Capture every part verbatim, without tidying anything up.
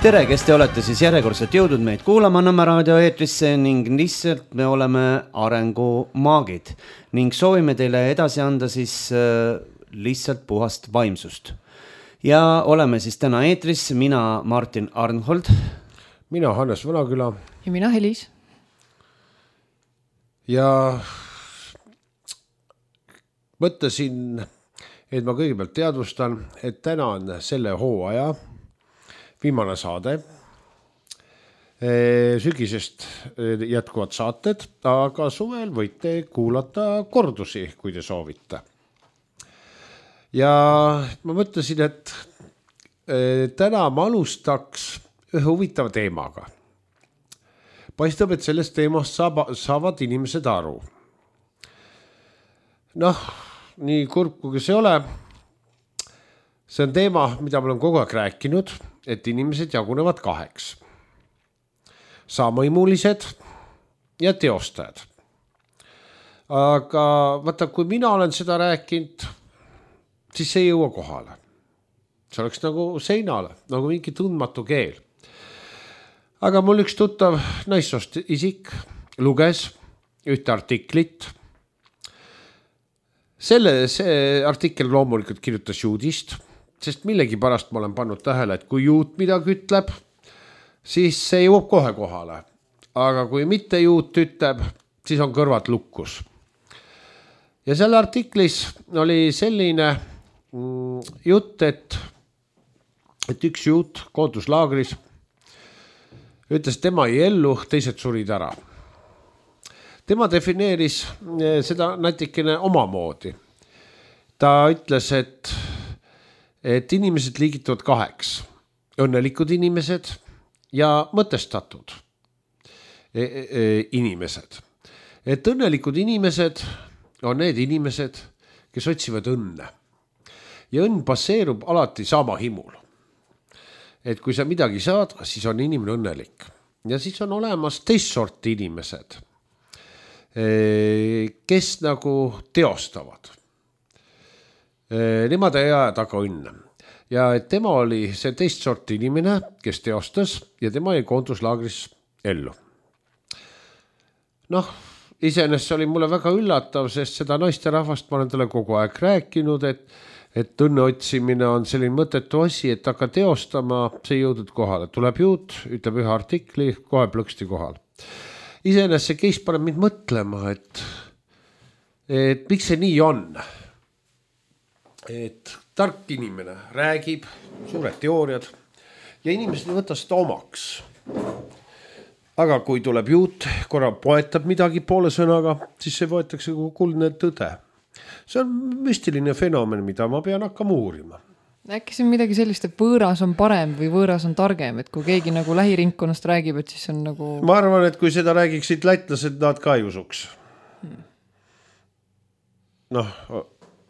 tere, kes te olete siis järjekordselt jõudnud meid kuulama Nõmme raadio eetrisse ning lihtsalt me oleme arengumaagid ning soovime teile edasi anda siis äh, lihtsalt puhast vaimsust. Ja oleme siis täna eetris, mina Martin Arnhold. Mina Hannes Vanaküla. Ja mina Helis. Ja mõtlesin, et ma kõigepealt teadvustan, et täna on selle hooaja viimane saade. Sügisest jätkuvad saated, aga suvel võite kuulata kordusi, kui te soovite. Ja ma mõtlesin, et täna ma alustaks ühe huvitava teemaga. Paistab, et sellest teemast saavad inimesed aru. Noh, nii kurb kui see ole, see on teema, mida ma olen kogu aeg rääkinud, et inimesed jagunevad kaheks. Saamõimulised ja teostajad. Aga vaata, kui mina olen seda rääkinud, siis see ei jõua kohale. See oleks nagu seinale, nagu mingi tundmatu keel. Aga mul üks tuttav naissoost isik luges ühte artiklit. Selle see artikkel loomulikult kirjutas juudist, sest millegi pärast ma olen pannud tähele, et kui juut midagi ütleb, siis see jõuab kohe kohale. Aga kui mitte juut ütleb, siis on kõrvad lukkus. Ja selle artiklis oli selline jutt, et, et üks juut koonduslaagris ütles, tema ei ellu, teised surid ära. Tema defineeris seda natikene omamoodi. Ta ütles, et, et inimesed liigituvad kaheks. Õnnelikud inimesed ja mõtestatud inimesed. Et õnnelikud inimesed on need inimesed, kes otsivad õnne. Ja õnn baseerub alati sama himul. Et kui sa midagi saad, siis on inimene õnnelik. Ja siis on olemas teist sorti inimesed, kes nagu teostavad. Nemad ei aja taga õnne. Ja et tema oli see teist sorti inimene, kes teostas ja tema ei koonduslaagris ellu. Noh, iseenesest oli mulle väga üllatav, sest seda naiste rahvast ma olen talle kogu aeg rääkinud, et, et õnne otsimine on selline mõttetu asi, et hakka teostama, see jõudnud kohale. Tuleb juut, ütleb ühe artikli, kohe plõksti kohal. Iseenesest see keis paneb mind mõtlema, et, et miks see nii on. Et tark inimene räägib, suured teooriad ja inimesed ei võta seda omaks. Aga kui tuleb juut, korra poetab midagi poole sõnaga, siis see võetakse kui kuldne tõde. See on müstiline fenomen, mida ma pean hakkama uurima. Äkki see on midagi sellist, et võõras on parem või võõras on targem, et kui keegi nagu lähirinkonnast räägib, et siis on nagu... Ma arvan, et kui seda räägiksid lätlased, nad ka ei usuks. Hmm. Noh,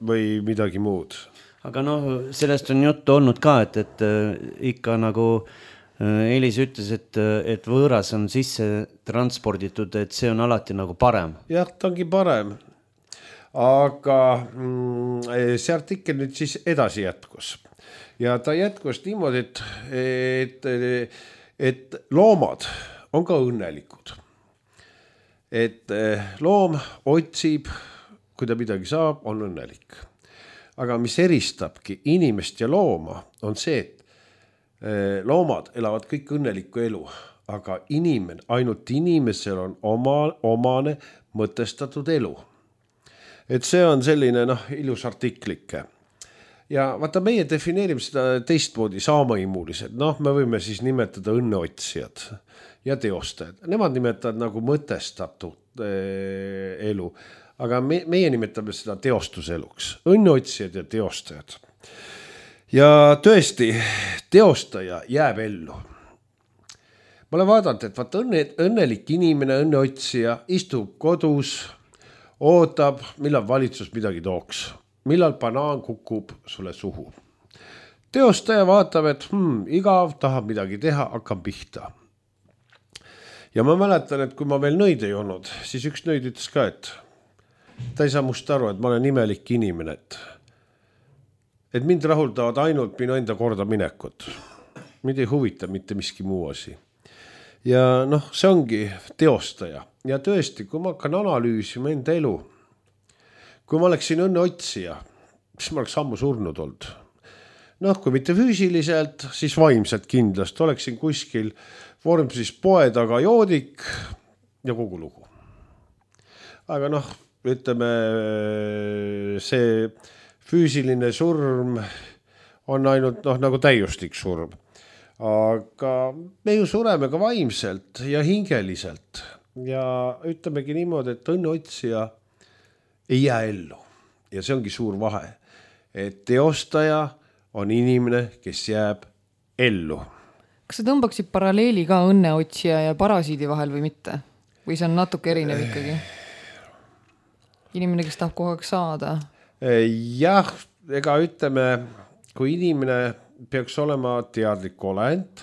või midagi muud. Aga noh, sellest on juttu olnud ka, et, et ikka nagu Elis ütles, et, et võõras on sisse transporditud, et see on alati nagu parem. Jah, ta ongi parem. Aga see artikkel nüüd siis edasi jätkus. Ja ta jätkus niimoodi, et, et, et loomad on ka õnnelikud. Et loom otsib, kui ta midagi saab, on õnnelik. Aga mis eristabki inimest ja looma, on see, et loomad elavad kõik õnnelikku elu, aga inimene, ainult inimesel on oma, omane mõtestatud elu. Et see on selline noh, ilus artiklike. Ja vaata, meie defineerime seda teistmoodi saamõimulised. Noh, me võime siis nimetada õnneotsijad ja teostajad. Nemad nimetavad nagu mõtestatud elu, aga me, meie nimetame seda teostuseluks. Õnneotsijad ja teostajad. Ja tõesti, teostaja jääb ellu. Ma olen vaadanud, et vaata õnne, õnnelik inimene, õnneotsija istub kodus, ootab, millal valitsus midagi tooks. Millal banaan kukub sulle suhu. Teostaja vaatab, et hmm, igav tahab midagi teha, hakkab pihta. Ja ma mäletan, et kui ma veel nõid ei olnud, siis üks nõid ütles ka, et ta ei saa must aru, et ma olen imelik inimene, et et mind rahuldavad ainult minu enda korda minekut. mind ei huvita mitte miski muu asi. Ja noh, see ongi teostaja. Ja tõesti, kui ma hakkan analüüsima enda elu, kui ma oleksin õnne otsija, siis ma oleks ammu surnud olnud. Noh, kui mitte füüsiliselt, siis vaimselt kindlasti. Oleksin kuskil vormsis poe taga joodik ja kogu lugu. Aga noh, ütleme, see füüsiline surm on ainult noh, nagu täiustik surm. Aga me ju sureme ka vaimselt ja hingeliselt ja ütlemegi niimoodi, et õnneotsija ei jää ellu ja see ongi suur vahe, et teostaja on inimene, kes jääb ellu. Kas sa tõmbaksid paralleeli ka õnneotsija ja parasiidi vahel või mitte? Või see on natuke erinev ikkagi? Inimene, kes tahab kogu aeg saada? Jah, ega ütleme, kui inimene peaks olema teadlik olend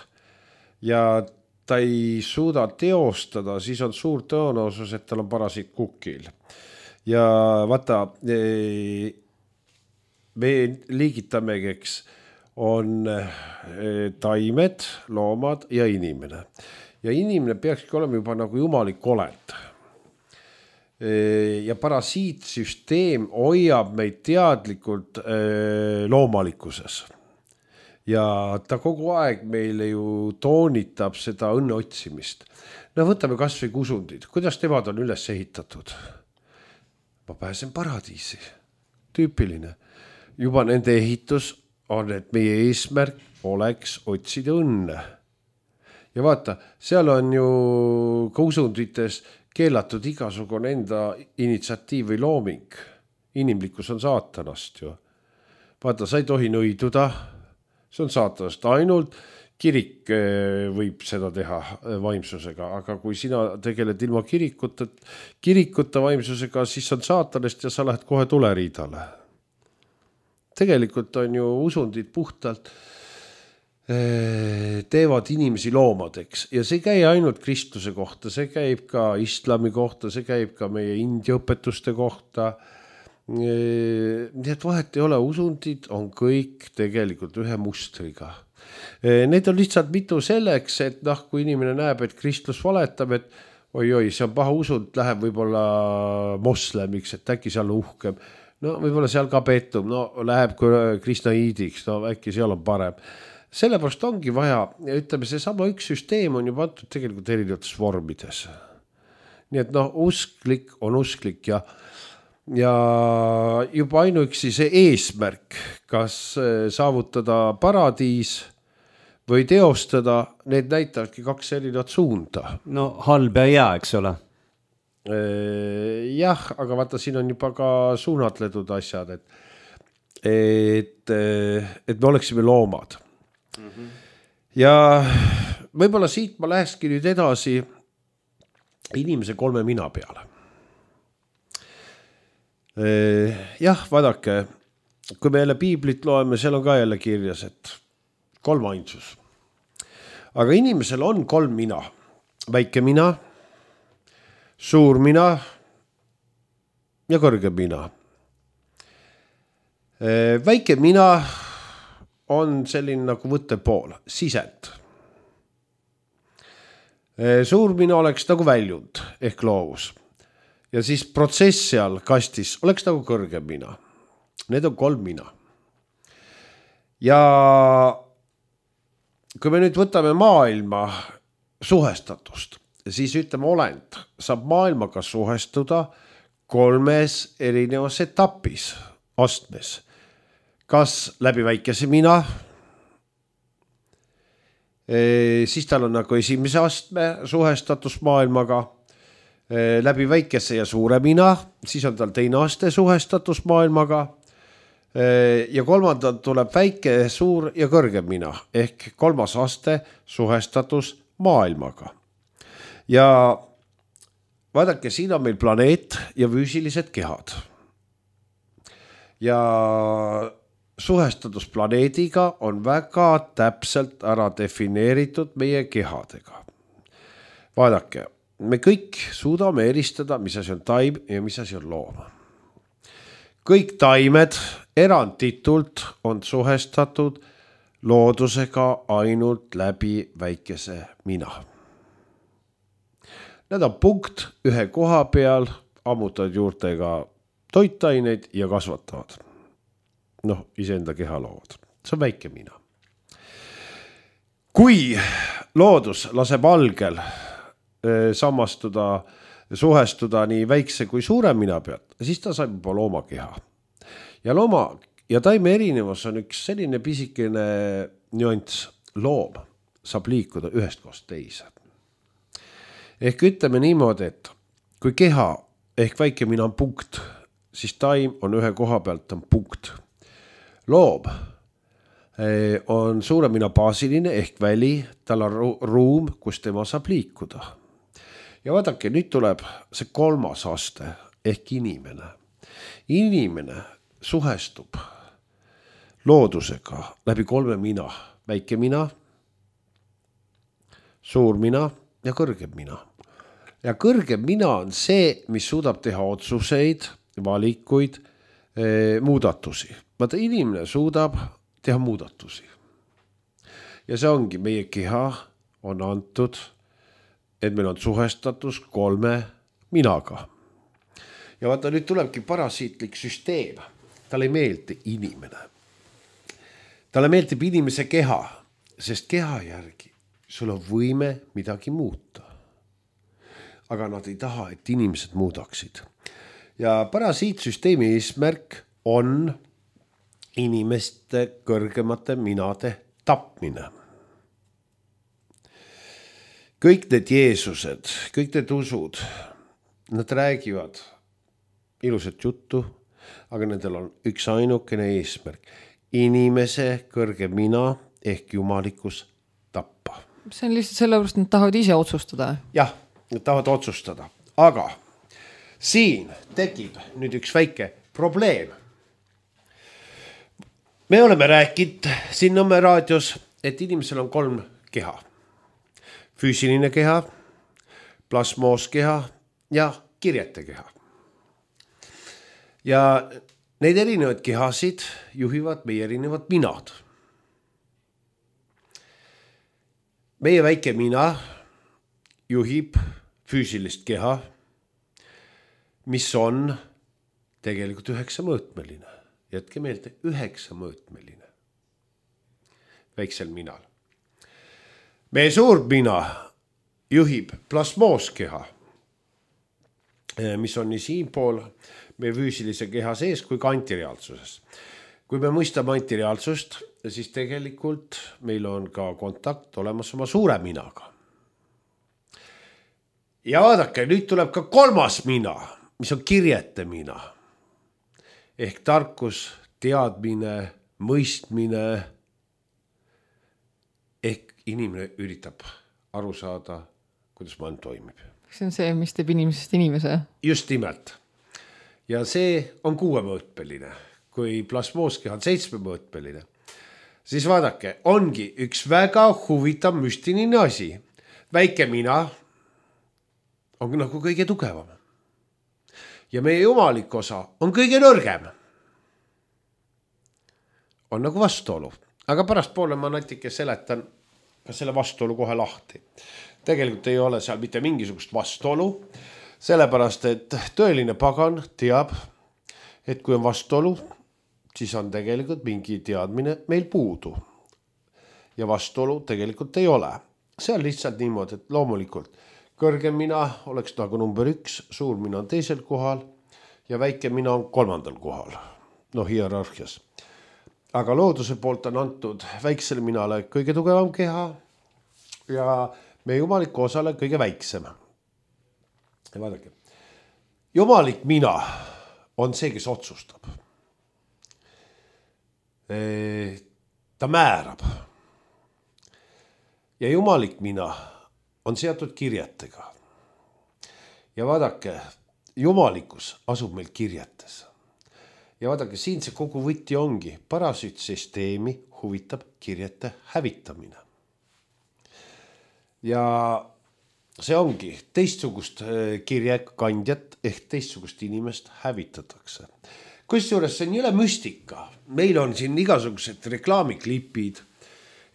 ja ta ei suuda teostada, siis on suur tõenäosus, et tal on parasiit kukil. Ja vaata, me liigitamegi, eks, on taimed, loomad ja inimene. Ja inimene peakski olema juba nagu jumalik olend. Ja parasiitsüsteem hoiab meid teadlikult loomalikkuses. Ja ta kogu aeg meile ju toonitab seda õnne otsimist. No võtame kas või kusundid. Kuidas temad on üles ehitatud? Ma pääsen paradiisi. Tüüpiline. Juba nende ehitus on, et meie eesmärk oleks otsida õnne. Ja vaata, seal on ju kusundites keelatud igasugune enda initsiatiiv või looming. Inimlikkus on saatanast ju. Vaata, sa ei tohi nõiduda. See on saatanast. Ainult kirik võib seda teha vaimsusega, aga kui sina tegeled ilma kirikuta, kirikuta vaimsusega, siis on saatanast ja sa lähed kohe tuleriidale. Tegelikult on ju usundid puhtalt teevad inimesi loomadeks ja see ei käi ainult kristluse kohta, see käib ka islami kohta, see käib ka meie india õpetuste kohta. Nii et vahet ei ole, usundid on kõik tegelikult ühe mustriga. Need on lihtsalt mitu selleks, et noh, kui inimene näeb, et kristlus valetab, et oi-oi, see on paha usund, läheb võib-olla moslemiks, et äkki seal on uhkem. No võib-olla seal ka petum, no läheb kristnaiidiks, no äkki seal on parem. Sellepärast ongi vaja, ütleme, see sama üks süsteem on juba antud tegelikult erinevates vormides. Nii et noh, usklik on usklik ja ja juba ainuüksi see eesmärk, kas saavutada paradiis või teostada, need näitavadki kaks erinevat suunda. No halb ja hea, eks ole. Jah, aga vaata, siin on juba ka suunatletud asjad, et, et, et me oleksime loomad. Mm-hmm. Ja võib-olla siit ma lähekski nüüd edasi inimese kolme mina peale. Jah, vaadake, kui me jälle piiblit loeme, seal on ka jälle kirjas, et kolm ainsus. Aga inimesel on kolm mina. Väike mina, suur mina ja kõrge mina. Väike mina on selline nagu võttepool, sisend. Suur mina oleks nagu väljund ehk loovus. Ja siis protsess seal kastis oleks nagu kõrgem mina. Need on kolm mina. Ja kui me nüüd võtame maailma suhestatust, siis ütleme olend saab maailmaga suhestuda kolmes erinevas etapis, astmes. Kas läbi väikese mina, siis tal on nagu esimese astme suhestatus maailmaga, läbi väikese ja suure mina, siis on tal teine aste suhestatus maailmaga ja kolmandalt tuleb väike, suur ja kõrgem mina ehk kolmas aste suhestatus maailmaga. Ja vaadake, siin on meil planeet ja füüsilised kehad. Ja suhestatus planeediga on väga täpselt ära defineeritud meie kehadega. Vaadake, me kõik suudame eristada, mis asi on taim ja mis asi on loom. Kõik taimed eranditult on suhestatud loodusega ainult läbi väikese mina. Nad on punkt ühe koha peal, ammutavad juurtega toitaineid ja kasvatavad. Noh, iseenda keha loovad. See on väike mina. Kui loodus laseb algel samastuda, suhestuda nii väikse kui suure mina pealt, siis ta saab juba loomakeha. Ja looma ja taime erinevus on üks selline pisikene nüanss. Loom saab liikuda ühest kohast teise. Ehk ütleme niimoodi, et kui keha ehk väike mina on punkt, siis taim on ühe koha pealt on punkt. Loom on suure mina baasiline ehk väli, tal on ruum, kus tema saab liikuda. Ja vaadake, nüüd tuleb see kolmas aste ehk inimene. Inimene suhestub loodusega läbi kolme mina. Väike mina, suur mina ja kõrgem mina. Ja kõrgem mina on see, mis suudab teha otsuseid, valikuid, muudatusi. Vaata, inimene suudab teha muudatusi. Ja see ongi, meie keha on antud, et meil on suhestatus kolme minaga. Ja vaata, nüüd tulebki parasiitlik süsteem. Talle ei meeldi inimene. Talle meeldib inimese keha, sest keha järgi sul on võime midagi muuta. Aga nad ei taha, et inimesed muudaksid. Ja parasiitsüsteemi eesmärk on inimeste kõrgemate minade tapmine. Kõik need Jeesused, kõik need usud, nad räägivad ilusat juttu, aga nendel on üks ainukene eesmärk. Inimese kõrge mina ehk jumalikus tappa. See on lihtsalt sellepärast, nad tahavad ise otsustada. Jah, nad tahavad otsustada. Aga siin tekib nüüd üks väike probleem. Me oleme rääkinud siin Nõmme raadios, et inimesel on kolm keha. Füüsiline keha, plasmoos keha ja kirjete keha. Ja neid erinevad kehasid juhivad meie erinevad minad. Meie väike mina juhib füüsilist keha, mis on tegelikult üheksa mõõtmeline. Jätke meelde, üheksa mõõtmeline. Väiksel minal. Meie suur mina juhib plasmoos keha, mis on nii siinpool meie füüsilise keha sees kui ka antireaalsuses. Kui me mõistame antireaalsust, siis tegelikult meil on ka kontakt olemas oma suure minaga. Ja vaadake, nüüd tuleb ka kolmas mina, mis on kirjete mina. Ehk tarkus, teadmine, mõistmine. Ehk inimene üritab aru saada, kuidas maailm toimib. See on see, mis teeb inimesest inimese. Just nimelt. Ja see on kuuemõõtmeline, kui plasmooskeha on seitsmemõõtmeline. Siis vaadake, ongi üks väga huvitav müstiline asi. Väike mina on nagu kõige tugevam. Ja meie jumalik osa on kõige nõrgem. On nagu vastuolu. Aga pärast poole ma natuke seletan ka selle vastuolu kohe lahti. Tegelikult ei ole seal mitte mingisugust vastuolu. Sellepärast, et tõeline pagan teab, et kui on vastuolu, siis on tegelikult mingi teadmine meil puudu. Ja vastuolu tegelikult ei ole. See on lihtsalt niimoodi, et loomulikult kõrgem mina oleks nagu number üks, suur mina on teisel kohal ja väike mina on kolmandal kohal. No hierarhias. Aga looduse poolt on antud väiksele minale kõige tugevam keha ja meie jumaliku osale kõige väiksem. Ja vaadake, jumalik mina on see, kes otsustab. Ta määrab. Ja jumalik mina on seatud kirjetega. Ja vaadake, jumalikus asub meil kirjetes. Ja vaadake, siin see kogu võti ongi. Parasütsüsteemi huvitab kirjete hävitamine. Ja see ongi teistsugust kirjekandjat ehk teistsugust inimest hävitatakse. Kusjuures see on jõle müstika. Meil on siin igasugused reklaamiklipid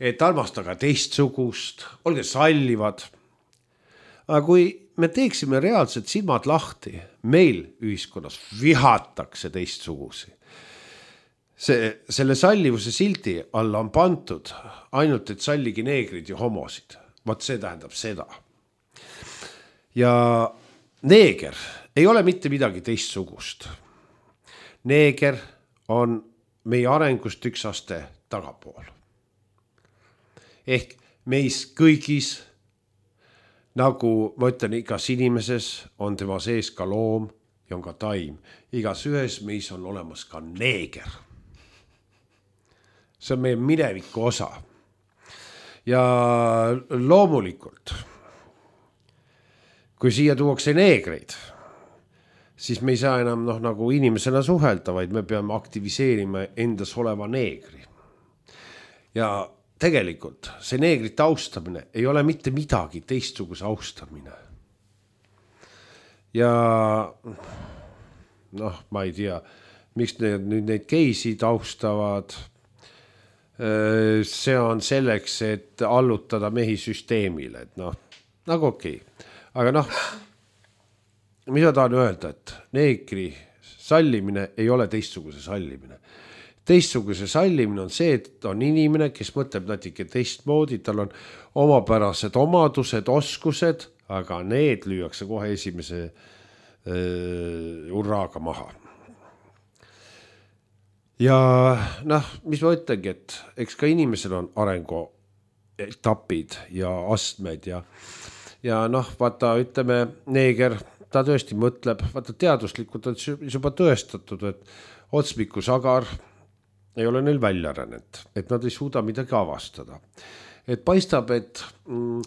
et armastage teistsugust, olge sallivad. Aga kui me teeksime reaalselt silmad lahti, meil ühiskonnas vihatakse teistsugusi. See, selle sallivuse sildi alla on pantud ainult, et salligi neegrid ja homosid. Vaat see tähendab seda. Ja neeger ei ole mitte midagi teistsugust. Neeger on meie arengust üks aste tagapool. Ehk meis kõigis, nagu ma ütlen, igas inimeses on tema sees ka loom ja on ka taim. Igas ühes meis on olemas ka neeger. See on meie mineviku osa. Ja loomulikult, kui siia tuuakse neegreid, siis me ei saa enam noh, nagu inimesena suhelda, vaid me peame aktiviseerima endas oleva neegri. Ja tegelikult see neegrite austamine ei ole mitte midagi teistsuguse austamine. Ja noh, ma ei tea, miks need, nüüd neid geisid austavad. See on selleks, et allutada mehi süsteemile, et noh, nagu okei. Aga noh, mis ma tahan öelda, et neegri sallimine ei ole teistsuguse sallimine. Teistsuguse sallimine on see, et on inimene, kes mõtleb natuke teistmoodi, tal on omapärased omadused, oskused, aga need lüüakse kohe esimese äh, urraaga maha. Ja noh, mis ma ütlengi, et eks ka inimesel on arengu etapid ja astmed ja, ja noh, vaata, ütleme, neeger, ta tõesti mõtleb, vaata teaduslikult on juba tõestatud, et otsmiku sagar ei ole neil välja arenenud, et nad ei suuda midagi avastada. Et paistab, et mm,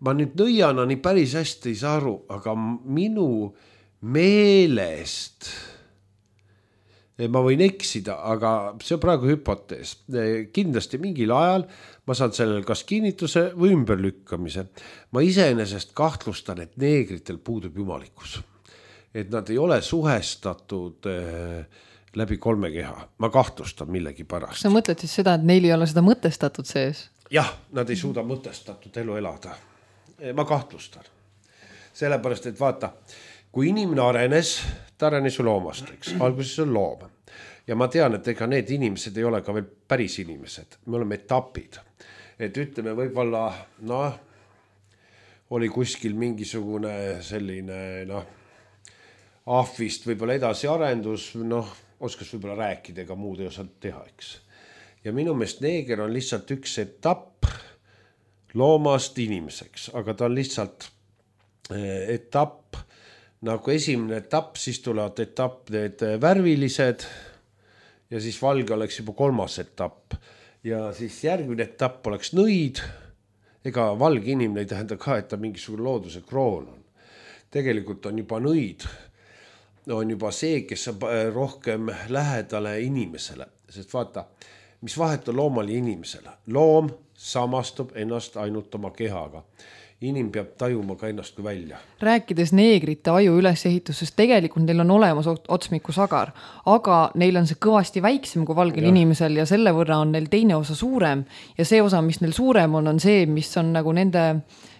ma nüüd nõiana nii päris hästi ei saa aru, aga minu meelest ma võin eksida, aga see on praegu hüpotees. Kindlasti mingil ajal ma saan sellel kas kinnituse või ümberlükkamise. Ma iseenesest kahtlustan, et neegritel puudub jumalikkus. Et nad ei ole suhestatud läbi kolme keha. Ma kahtlustan millegi pärast. Sa mõtled siis seda, et neil ei ole seda mõtestatud sees? Jah, nad ei suuda mõtestatud elu elada. Ma kahtlustan. Sellepärast, et vaata, kui inimene arenes, ta arenes ju loomast, eks. Alguses on loom. Ja ma tean, et ega need inimesed ei ole ka veel päris inimesed. Me oleme etapid. Et ütleme, võib-olla, noh, oli kuskil mingisugune selline, noh, ahvist võib-olla edasi arendus, noh, oskas võib-olla rääkida, ega muud ei osanud teha, eks. Ja minu meelest neeger on lihtsalt üks etapp loomast inimeseks, aga ta on lihtsalt etapp, nagu esimene etapp, siis tulevad etapp need värvilised ja siis valge oleks juba kolmas etapp. Ja siis järgmine etapp oleks nõid. Ega valge inimene ei tähenda ka, et ta mingisugune looduse kroon on. Tegelikult on juba nõid. On juba see, kes on rohkem lähedale inimesele. Sest vaata, mis vahet on loomal ja inimesele. Loom samastub ennast ainult oma kehaga. Inim peab tajuma ka ennast kui välja. Rääkides neegrite aju ülesehitusest, tegelikult neil on olemas otsmiku sagar, aga neil on see kõvasti väiksem kui valgel ja. Inimesel ja selle võrra on neil teine osa suurem ja see osa, mis neil suurem on, on see, mis on nagu nende,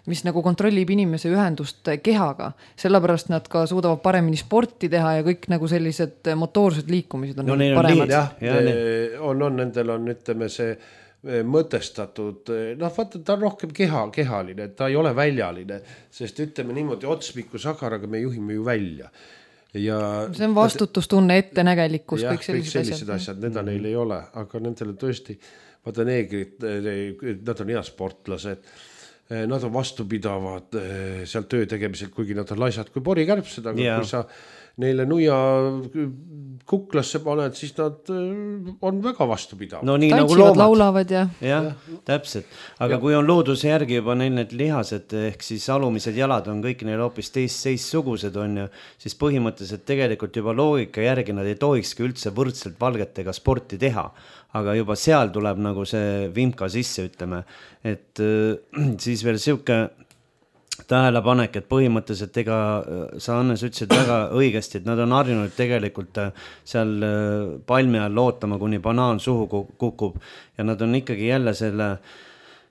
mis nagu kontrollib inimese ühendust kehaga. Sellepärast nad ka suudavad paremini sporti teha ja kõik nagu sellised motoorsed liikumised on no, neil paremad. Jah, ja, on, on, nendel on, ütleme, see mõtestatud, noh vaata, ta on rohkem keha, kehaline, ta ei ole väljaline, sest ütleme niimoodi otsmiku sagaraga me juhime ju välja. Ja see on vastutustunne, ettenägelikkus, jah, kõik sellised, sellised asjad, asjad. Need neil ei ole, aga nendele tõesti, vaata neegrid, nad on hea sportlased, nad on vastupidavad seal töö tegemisel, kuigi nad on laisad kui porikärbsed, aga yeah. Kui sa neile nuia kuklasse paned, siis nad on väga vastupidavad. No nii tantsivad, nagu loomad. Laulavad ja... jah, täpselt. Aga ja. Kui on looduse järgi juba neil need lihased, ehk siis alumised jalad on kõik neil hoopis teist seissugused on ju, siis põhimõtteliselt tegelikult juba loogika järgi nad ei tohikski üldse võrdselt valgetega sporti teha. Aga juba seal tuleb nagu see vimka sisse, ütleme, et äh, siis veel siuke tähelepanek, et põhimõtteliselt ega sa Annes ütlesid väga õigesti, et nad on harjunud tegelikult seal palmi all lootama, kuni banaan suhu kukub ja nad on ikkagi jälle selle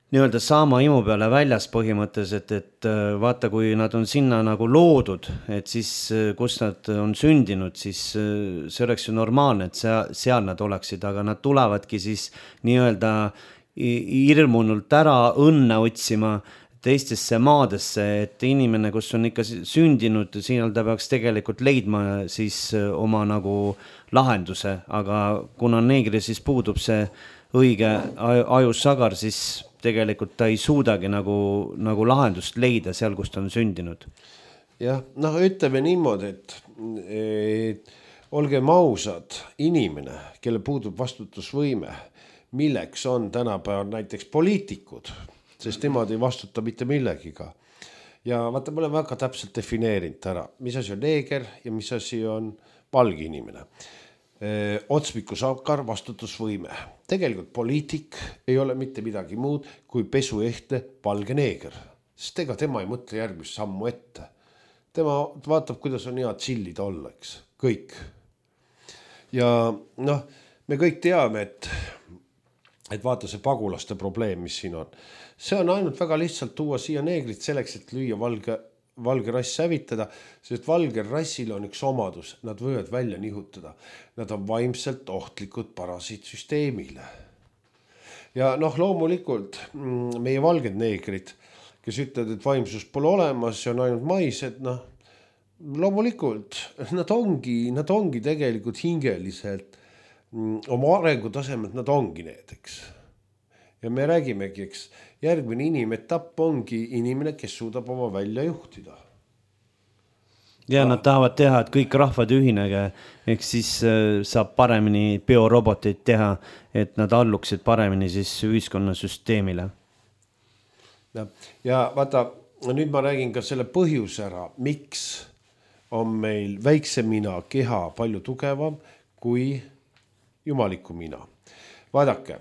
nii-öelda saama imu peale väljas põhimõtteliselt, et vaata, kui nad on sinna nagu loodud, et siis kus nad on sündinud, siis see oleks ju normaalne, et seal, seal nad oleksid, aga nad tulevadki siis nii-öelda hirmunult ära õnne otsima teistesse maadesse, et inimene, kus on ikka sündinud, siin ta peaks tegelikult leidma siis oma nagu lahenduse, aga kuna neegri siis puudub see õige ajussagar, siis tegelikult ta ei suudagi nagu, nagu lahendust leida seal, kus ta on sündinud. Jah, noh, ütleme niimoodi, et, et olgem ausad, inimene, kelle puudub vastutusvõime, milleks on tänapäeval näiteks poliitikud, sest nemad ei vastuta mitte millegiga. Ja vaata, me oleme väga täpselt defineerinud ära, mis asi on neeger ja mis asi on valge inimene. Otsmikusakar, vastutusvõime. Tegelikult poliitik ei ole mitte midagi muud kui pesuehtne valge neeger, sest ega tema ei mõtle järgmist sammu ette. Tema vaatab, kuidas on hea chillida olla, eks, kõik. Ja noh, me kõik teame, et, et vaata see pagulaste probleem, mis siin on. See on ainult väga lihtsalt tuua siia neegrit selleks, et lüüa valge, valge rass hävitada, sest valge rassil on üks omadus, nad võivad välja nihutada. Nad on vaimselt ohtlikud parasiitsüsteemile. Ja noh, loomulikult meie valged neegrid, kes ütlevad, et vaimsus pole olemas, see on ainult maised, noh, loomulikult nad ongi, nad ongi tegelikult hingeliselt oma arengutasemelt, nad ongi need, eks. Ja me räägimegi, eks, järgmine inimetapp ongi inimene, kes suudab oma välja juhtida. Ja nad tahavad teha, et kõik rahvad ühinege, ehk siis saab paremini bioroboteid teha, et nad alluksid paremini siis ühiskonnasüsteemile. Ja, ja vaata, nüüd ma räägin ka selle põhjuse ära, miks on meil väikse mina keha palju tugevam kui jumaliku mina. Vaadake,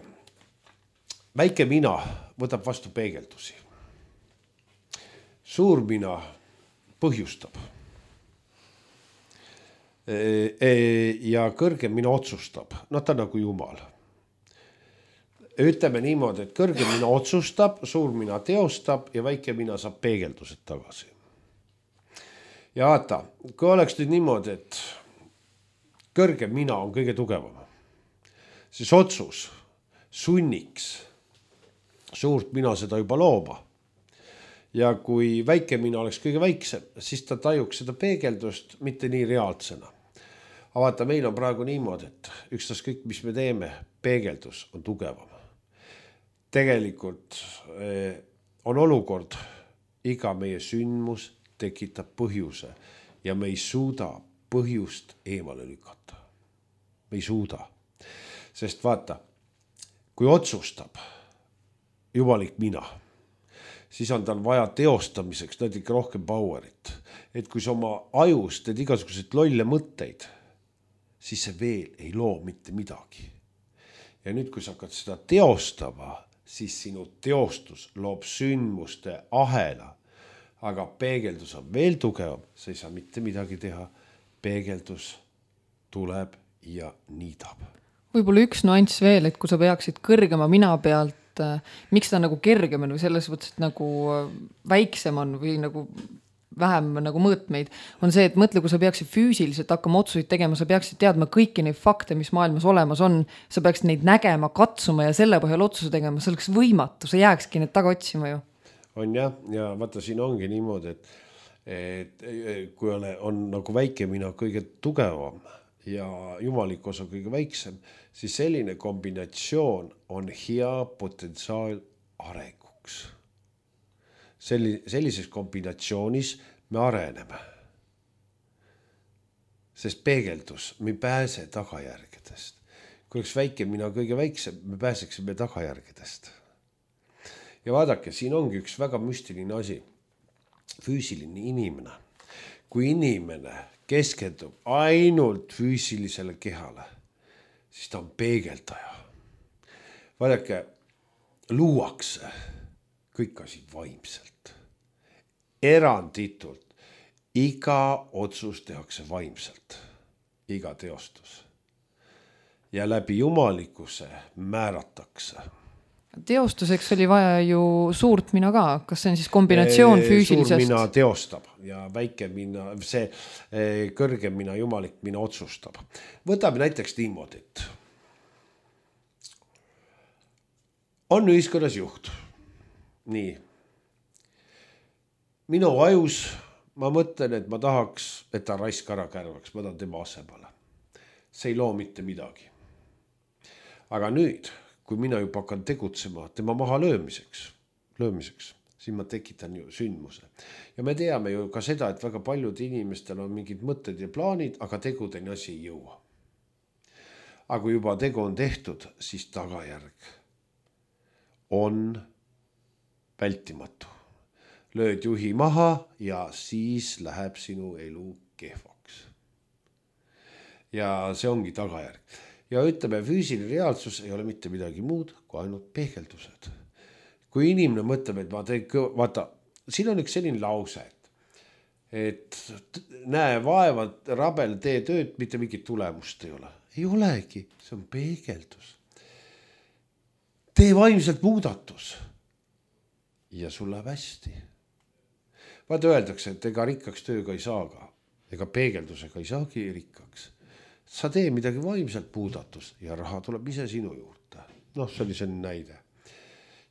väike mina võtab vastu peegeldusi. Suur mina põhjustab. Ja kõrgem mina otsustab. No ta nagu jumal. Ütleme niimoodi, et kõrgem mina otsustab, suur mina teostab ja väike mina saab peegeldused tagasi. Ja vaata, kui oleks nüüd niimoodi, et kõrgem mina on kõige tugevam, siis otsus sunniks suurt mina seda juba looma. Ja kui väike mina oleks kõige väiksem, siis ta tajuks seda peegeldust mitte nii reaalsena. Aga vaata, meil on praegu niimoodi, et ükstas kõik, mis me teeme, peegeldus on tugevam. Tegelikult on olukord, iga meie sündmus tekitab põhjuse ja me ei suuda põhjust eemale lükata. Me ei suuda. Sest vaata, kui otsustab jumalik mina, siis on tal vaja teostamiseks natuke rohkem powerit. Et kui sa oma ajus teed igasugused lolle mõtteid, siis see veel ei loo mitte midagi. Ja nüüd, kui sa hakkad seda teostama, siis sinu teostus loob sündmuste ahela. Aga peegeldus on veel tugevam, sa ei saa mitte midagi teha. Peegeldus tuleb ja niidab. Võib-olla üks nuanss veel, et kui sa peaksid kõrgema mina pealt, miks ta nagu kergem on või selles võttes, et nagu väiksem on või nagu vähem nagu mõõtmeid, on see, et mõtle, kui sa peaksid füüsiliselt hakkama otsuseid tegema, sa peaksid teadma kõiki neid fakte, mis maailmas olemas on, sa peaksid neid nägema, katsuma ja selle põhjal otsuse tegema, see oleks võimatu, sa jääkski need taga otsima ju. On jah, ja vaata, siin ongi niimoodi, et, et kui on, on nagu väike mina kõige tugevam ja jumalik osa kõige väiksem, siis selline kombinatsioon on hea potentsiaal arenguks. Sellises kombinatsioonis me areneme. Sest peegeldus, me ei pääse tagajärgedest. Kui oleks väike mina kõige väiksem, me pääseksime tagajärgedest. Ja vaadake, siin ongi üks väga müstiline asi. Füüsiline inimene. Kui inimene keskendub ainult füüsilisele kehale, siis ta on peegeldaja. Vaadake, luuakse kõik asi vaimselt. Eranditult. Iga otsus tehakse vaimselt. Iga teostus. Ja läbi jumalikkuse määratakse. Teostuseks oli vaja ju suurt mina ka, kas see on siis kombinatsioon füüsilisest? Suur mina teostab ja väike mina, see kõrgem mina, jumalik mina otsustab. Võtame näiteks niimoodi, et on ühiskonnas juht. Nii. Minu ajus ma mõtlen, et ma tahaks, et ta raisk ära kärvaks, ma tahan tema asemale. See ei loo mitte midagi. Aga nüüd, kui mina juba hakkan tegutsema tema maha löömiseks, löömiseks, siis ma tekitan ju sündmuse. Ja me teame ju ka seda, et väga paljud inimestel on mingid mõtted ja plaanid, aga tegudeni asi ei jõua. Aga kui juba tegu on tehtud, siis tagajärg on vältimatu. Lööd juhi maha ja siis läheb sinu elu kehvaks. Ja see ongi tagajärg. Ja ütleme, füüsiline reaalsus ei ole mitte midagi muud kui ainult peegeldused. Kui inimene mõtleb, et ma teen, vaata, siin on üks selline lause, et, et näe vaeva, rabel, tee tööd, mitte mingit tulemust ei ole. Ei olegi, see on peegeldus. Tee vaimselt muudatus ja sul läheb hästi. Vaata öeldakse, et ega rikkaks tööga ei saaga, ega peegeldusega ei saagi rikkaks. Sa tee midagi vaimselt muudatus ja raha tuleb ise sinu juurde. Noh, see oli selline näide.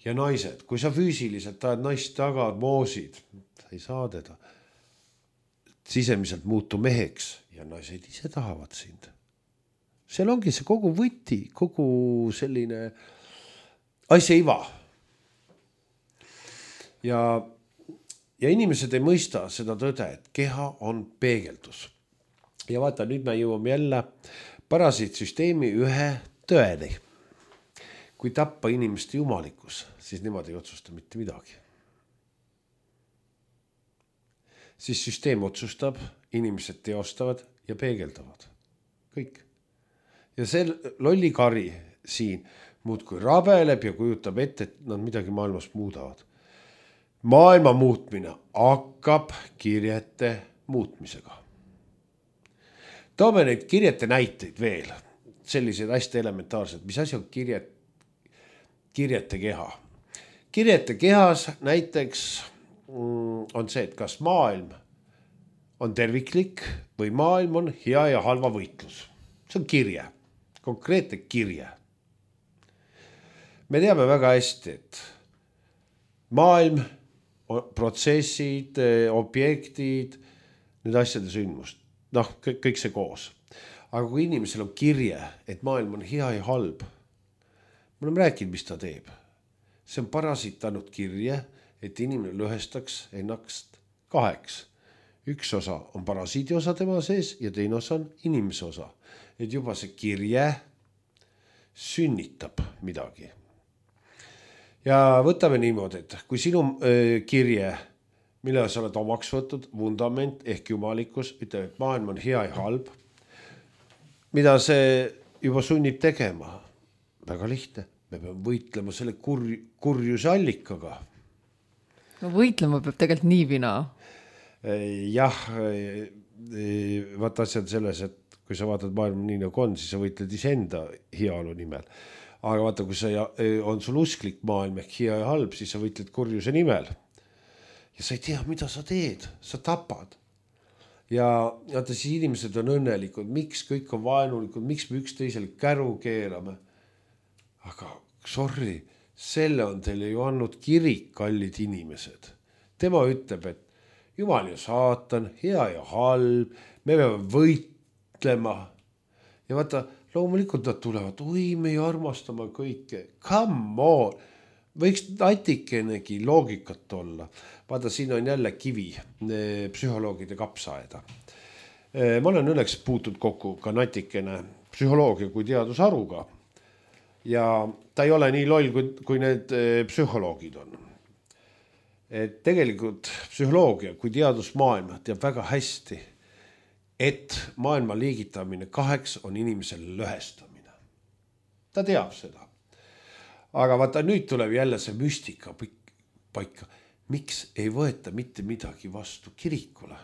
Ja naised, kui sa füüsiliselt tahad naist taga, moosid, sa ei saa teda. Sisemiselt muutu meheks ja naised ise tahavad sind. Seal ongi see kogu võti, kogu selline asja iva. Ja, ja inimesed ei mõista seda tõde, et keha on peegeldus. Ja vaata, nüüd me jõuame jälle parasiitsüsteemi ühe tõeni. Kui tappa inimeste jumalikus, siis nemad ei otsusta mitte midagi. Siis süsteem otsustab, inimesed teostavad ja peegeldavad. Kõik. Ja see lolli kari siin muudkui rabeleb ja kujutab ette, et nad midagi maailmas muudavad. Maailma muutmine hakkab kirjete muutmisega. Toome neid kirjete näiteid veel, sellised hästi elementaarsed, mis asi on kirjet, kirjete keha. Kirjete kehas näiteks on see, et kas maailm on terviklik või maailm on hea ja halva võitlus. See on kirje, konkreetne kirje. Me teame väga hästi, et maailm, protsessid, objektid, need asjade sündmust. Noh, kõik see koos. Aga kui inimesel on kirje, et maailm on hea ja halb, me oleme rääkinud, mis ta teeb. See on parasitanud kirje, et inimene lõhestaks ennast kaheks. Üks osa on parasiidi osa tema sees ja teine osa on inimese osa. Et juba see kirje sünnitab midagi. Ja võtame niimoodi, et kui sinu öö, kirje, mille sa oled omaks võtud, vundament ehk jumalikus, ütleb, et maailm on hea ja halb, mida see juba sunnib tegema? Väga lihtne. Me peame võitlema selle kur, kurjuse allikaga. No võitlema peab tegelikult nii vina. Jah, vaata asjad selles, et kui sa vaatad maailma nii nagu on, siis sa võitled iseenda heaolu nimel. Aga vaata, kui sa on sul usklik maailm ehk hea ja halb, siis sa võitled kurjuse nimel. Ja sa ei tea, mida sa teed, sa tapad. Ja vaata, siis inimesed on õnnelikud, miks kõik on vaenulikud, miks me üks teisel käru keerame. Aga sorry, selle on teile ju andnud kirik, kallid inimesed. Tema ütleb, et Jumal ja saatan, hea ja halb, me peame võitlema. Ja vaata, loomulikult nad tulevad, oi, me armastame kõike, come on. Võiks natikenegi loogikat olla. Vaata, siin on jälle kivi psühholoogide kapsaaeda. Ma olen õnneks puutud kokku ka natikene psühholoogia kui teadusharuga. Ja ta ei ole nii loll, kui, kui need psühholoogid on. Et tegelikult psühholoogia kui teadusmaailm teab väga hästi, et maailma liigitamine kaheks on inimesel lõhestamine. Ta teab seda. Aga vaata, nüüd tuleb jälle see müstika paika. Miks ei võeta mitte midagi vastu kirikule?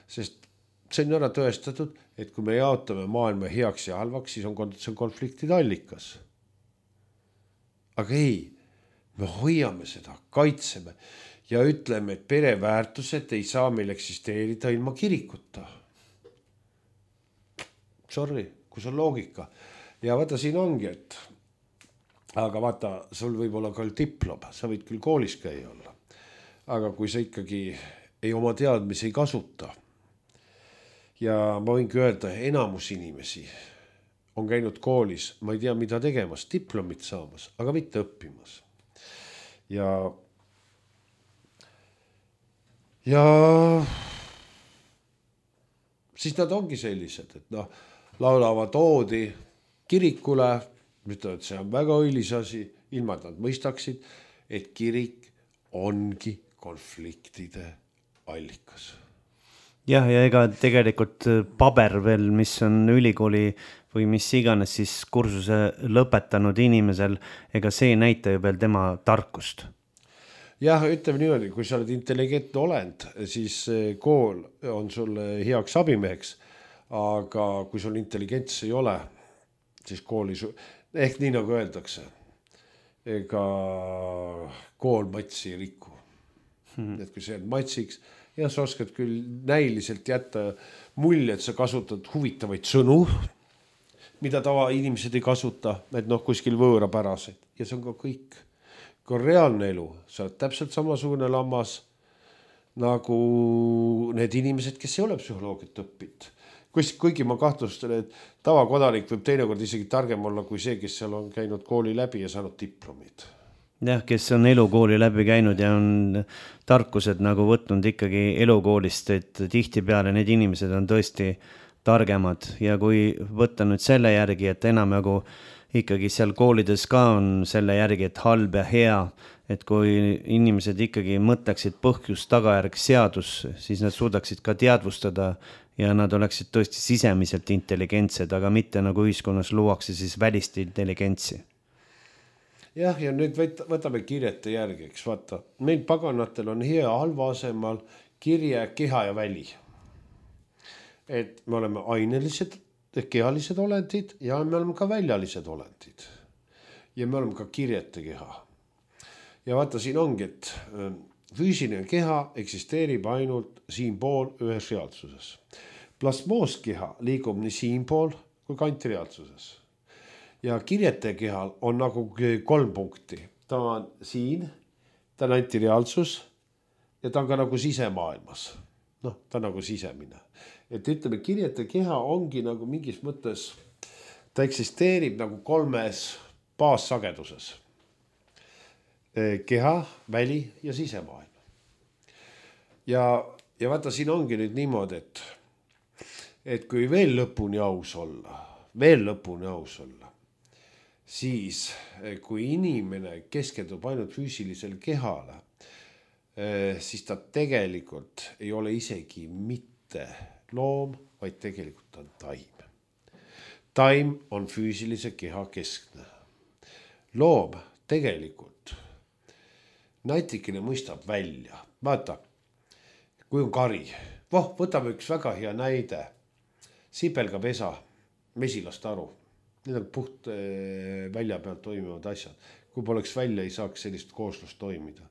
Sest see on ära tõestatud, et kui me jaotame maailma heaks ja halvaks, siis on, see on konfliktide allikas. Aga ei, me hoiame seda, kaitseme ja ütleme, et pereväärtused ei saa meil eksisteerida ilma kirikuta. Sorry, kus on loogika. Ja vaata, siin ongi, et aga vaata, sul võib olla ka diplom, sa võid küll koolis käia olla. Aga kui sa ikkagi ei oma teadmisi ei kasuta ja ma võingi öelda, enamus inimesi on käinud koolis, ma ei tea, mida tegemas, diplomit saamas, aga mitte õppimas. Ja, ja siis nad ongi sellised, et noh, laulavad oodi kirikule, ütlevad, et see on väga õilis asi, ilma et nad mõistaksid, et kirik ongi konfliktide allikas. Jah, ja ega tegelikult paber veel, mis on ülikooli või mis iganes siis kursuse lõpetanud inimesel, ega see ei näita ju veel tema tarkust. Jah, ütleme niimoodi, kui sa oled intelligentne olend, siis kool on sulle heaks abimeheks, aga kui sul intelligents ei ole, siis kooli, ehk nii nagu öeldakse, ega kool matsi ei riku. Hmm. Et kui sa jääd matsiks, ja sa oskad küll näiliselt jätta mulje, et sa kasutad huvitavaid sõnu, mida tava inimesed ei kasuta, et noh, kuskil võõrapäraseid. Ja see on ka kõik. Kui on reaalne elu, sa oled täpselt samasugune lammas nagu need inimesed, kes ei ole psühholoogiat õppinud. Kuigi ma kahtlustan, et tavakodanik võib teinekord isegi targem olla kui see, kes seal on käinud kooli läbi ja saanud diplomid. Jah, kes on elukooli läbi käinud ja on tarkused nagu võtnud ikkagi elukoolist, et tihti peale need inimesed on tõesti targemad ja kui võtta nüüd selle järgi, et enam nagu ikkagi seal koolides ka on selle järgi, et halb ja hea, et kui inimesed ikkagi mõtleksid põhjus tagajärg seadus, siis nad suudaksid ka teadvustada ja nad oleksid tõesti sisemiselt intelligentsed, aga mitte nagu ühiskonnas luuakse siis välist intelligentsi. Jah, ja nüüd võtame kirjete järgi, eks vaata. Meil paganatel on hea halva asemal kirje, keha ja väli. Et me oleme ainelised, kehalised olendid ja me oleme ka väljalised olendid. Ja me oleme ka kirjete keha. Ja vaata, siin ongi, et füüsiline keha eksisteerib ainult siinpool ühes reaalsuses. Plasmooskeha liigub nii siinpool kui kantireaalsuses. Ja kirjete kehal on nagu kolm punkti. Ta on siin, ta on antireaalsus ja ta on ka nagu sisemaailmas. Noh, ta on nagu sisemine. Et ütleme, kirjete keha ongi nagu mingis mõttes, ta eksisteerib nagu kolmes baassageduses. Keha, väli ja sisemaailm. Ja, ja vaata, siin ongi nüüd niimoodi, et, et kui veel lõpuni aus olla, veel lõpuni aus olla, siis kui inimene keskendub ainult füüsilisele kehale, siis ta tegelikult ei ole isegi mitte loom, vaid tegelikult on taim. Taim on füüsilise keha keskne. Loom tegelikult natikene mõistab välja. Vaata, kui on kari. Voh, võtame üks väga hea näide. Sipelgapesa, mesilast aru. Need on puht välja pealt toimivad asjad. Kui poleks välja, ei saaks sellist kooslust toimida.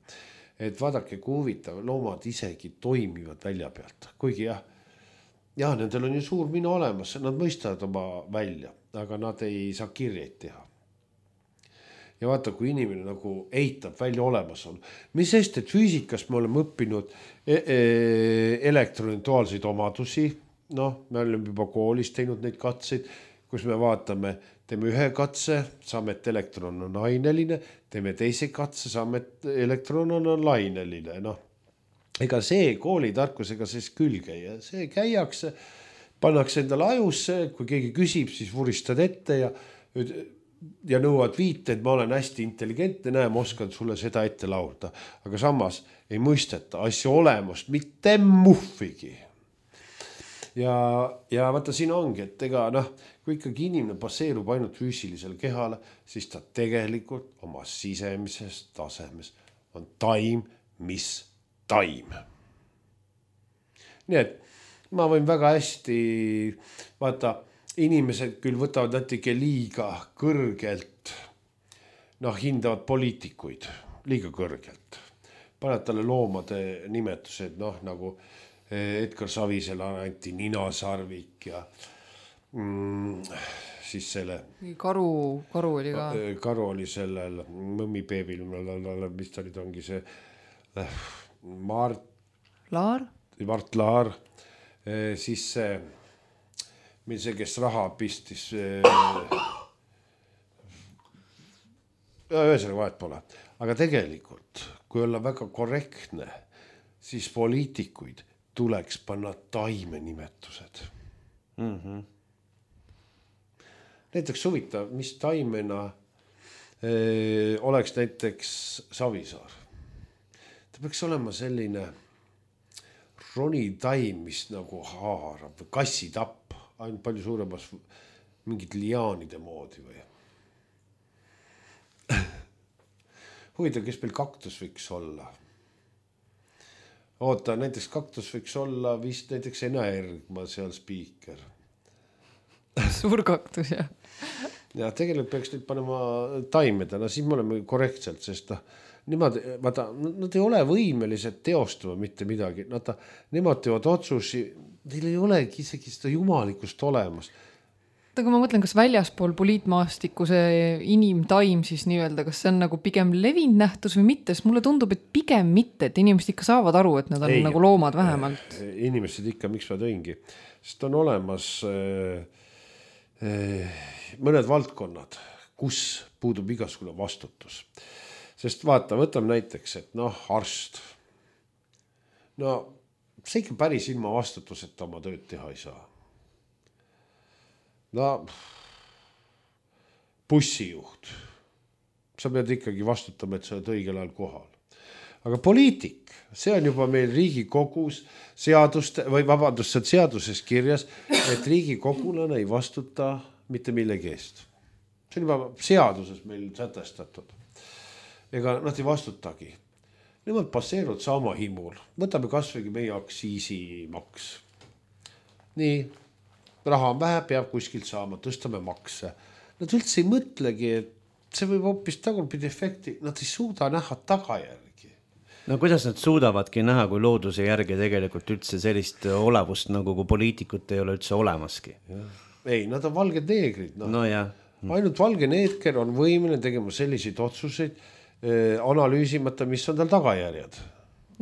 Et vaadake, kui huvitav, loomad isegi toimivad välja pealt. Kuigi jah, jah, nendel on ju suur mina olemas, nad mõistavad oma välja, aga nad ei saa kirjeid teha. Ja vaata, kui inimene nagu eitab välja olemas on. Mis sest, et füüsikas me oleme õppinud elektronituaalseid omadusi. Noh, me oleme juba koolis teinud neid katseid, kus me vaatame, teeme ühe katse, saame, et elektron on aineline, teeme teise katse, saame, et elektron on laineline. Noh, ega see koolitarkusega siis külge ja see käiakse, pannakse endale ajusse, kui keegi küsib, siis vuristad ette ja ja nõuad viite, et ma olen hästi intelligentne, näe, ma oskan sulle seda ette laulda. Aga samas ei mõisteta asja olemust mitte muhvigi. Ja, ja vaata, siin ongi, et ega noh, kui ikkagi inimene baseerub ainult füüsilisel kehale, siis ta tegelikult oma sisemises tasemes on taim, mis taim. Nii et ma võin väga hästi, vaata, inimesed küll võtavad natuke liiga kõrgelt, noh, hindavad poliitikuid. liiga kõrgelt. Paned talle loomade nimetused, noh nagu Edgar Savisele anti ninasarvik ja mm, siis selle karu, karu oli ka. Karu oli sellel mõmmipeebil, mis ta nüüd ongi see Mart Laar? Mart Laar, siis see, meil see, kes raha pistis, ühesõnaga vahet pole, aga tegelikult, kui olla väga korrektne, siis poliitikuid tuleks panna taime nimetused. Mm-hmm. Näiteks huvitav, mis taimena öö, oleks näiteks Savisaar. Ta peaks olema selline ronitaim, mis nagu haarab või kassitapp, ainult palju suuremas mingid liaanide moodi või. Huvitav, kes meil kaktus võiks olla? Oota, näiteks kaktus võiks olla vist näiteks Ena Ergma seal spiiker. Suur kaktus, jah. Ja tegelikult peaks nüüd panema taimedena, siis me oleme korrektselt, sest ta, nemad, vaata, nad ei ole võimelised teostama mitte midagi. Nad, nemad teevad otsusi, neil ei olegi isegi seda jumalikust olemas. Aga ma mõtlen, kas väljaspool poliitmaastiku see inimtaim siis nii-öelda, kas see on nagu pigem levinud nähtus või mitte, sest mulle tundub, et pigem mitte, et inimesed ikka saavad aru, et nad on ei, nagu loomad vähemalt. Inimesed ikka, miks ma tõingi, sest on olemas äh, äh, mõned valdkonnad, kus puudub igasugune vastutus. Sest vaata, võtame näiteks, et noh, arst. No see ikka päris ilma vastutuseta oma tööd teha ei saa. No, bussijuht. Sa pead ikkagi vastutama, et sa oled õigel ajal kohal. Aga poliitik, see on juba meil Riigikogus seaduste, või vabandust, see seaduses kirjas, et Riigikogulane ei vastuta mitte millegi eest. See on juba seaduses meil sätestatud. Ega nad ei vastutagi. Nemad passeeruvad sama himul. Võtame kasvõi meie aksiisimaks. Nii. Raha on vähe, peab kuskilt saama, tõstame makse. Nad üldse ei mõtlegi, et see võib hoopis tagurpidi efekti, nad ei suuda näha tagajärgi. No kuidas nad suudavadki näha, kui looduse järgi tegelikult üldse sellist olevust, nagu kui poliitikut ei ole üldse olemaski? Ja. Ei, nad on valged neegrid. No. No jah. Ainult valge neeker on võimeline tegema selliseid otsuseid, eh, analüüsimata, mis on tal tagajärjed.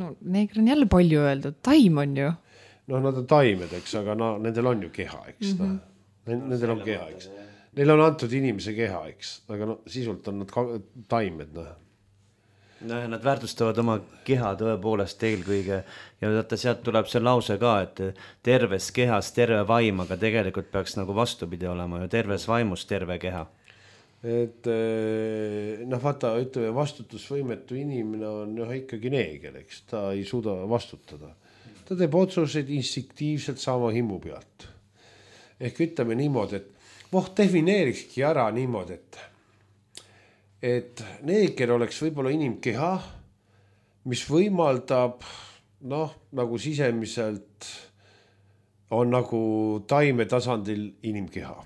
No neeger on jälle palju öeldud, taim on ju. No nad on taimed, eks, aga no, nendel on ju keha, eks. Mm-hmm. No. Nendel on keha, eks. Neil on antud inimese keha, eks. Aga no, sisult on nad taimed. No. No, nad väärtustavad oma keha tõepoolest eelkõige. Ja vaata, sealt tuleb see lause ka, et terves kehas terve vaim, aga tegelikult peaks nagu vastupidi olema ju terves vaimus terve keha. Et noh, vaata, ütleme, vastutusvõimetu inimene on noh, ikkagi neeger, eks. Ta ei suuda vastutada. Ta teeb otsuseid instinktiivselt sama himu pealt. Ehk ütleme niimoodi, et voh, defineerikski ära niimoodi, et, et neeger oleks võib-olla inimkeha, mis võimaldab, noh, nagu sisemiselt on nagu taime tasandil inimkeha.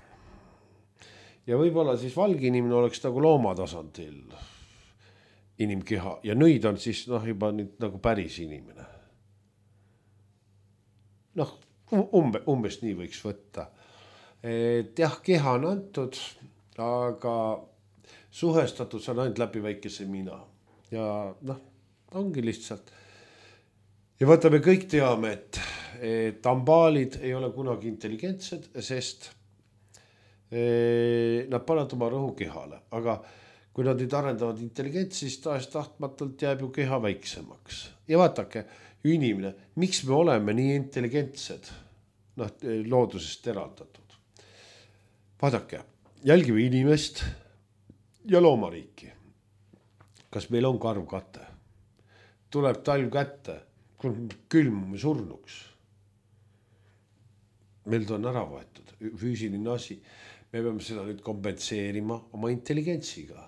Ja võib-olla siis valge inimene oleks nagu looma tasandil inimkeha ja nõid on siis noh, juba nüüd nagu päris inimene. Noh, umbe, umbes nii võiks võtta. Et jah, keha on antud, aga suhestatud see on ainult läbi väikese mina. Ja noh, ongi lihtsalt. Ja vaata, me kõik teame, et, et ambaalid ei ole kunagi intelligentsed, sest e, nad panevad oma rõhu kehale. Aga kui nad nüüd arendavad intelligentsi, siis taas tahtmatult jääb ju keha väiksemaks. Ja vaatake, inimene, miks me oleme nii intelligentsed, noh, loodusest eraldatud. Vaadake, jälgime inimest ja loomariiki. Kas meil on karvkate? Tuleb talv kätte, külmume surnuks. Meil on ära võetud, füüsiline asi. Me peame seda nüüd kompenseerima oma intelligentsiga.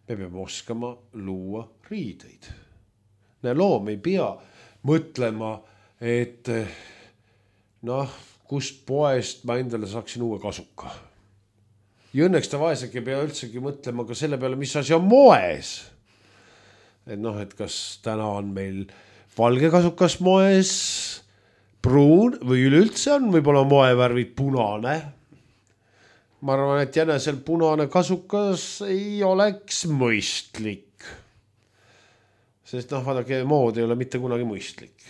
Me peame oskama luua riideid. Loom ei pea mõtlema, et noh, kust poest ma endale saaksin uue kasuka. Ja õnneks ta vaesegi ei pea üldsegi mõtlema ka selle peale, mis asi on moes. et noh, et kas täna on meil valge kasukas moes, pruun või üleüldse on võib-olla moevärvid punane. Ma arvan, et jänesel punane kasukas ei oleks mõistlik. Sest noh, vaadake, mood ei ole mitte kunagi mõistlik.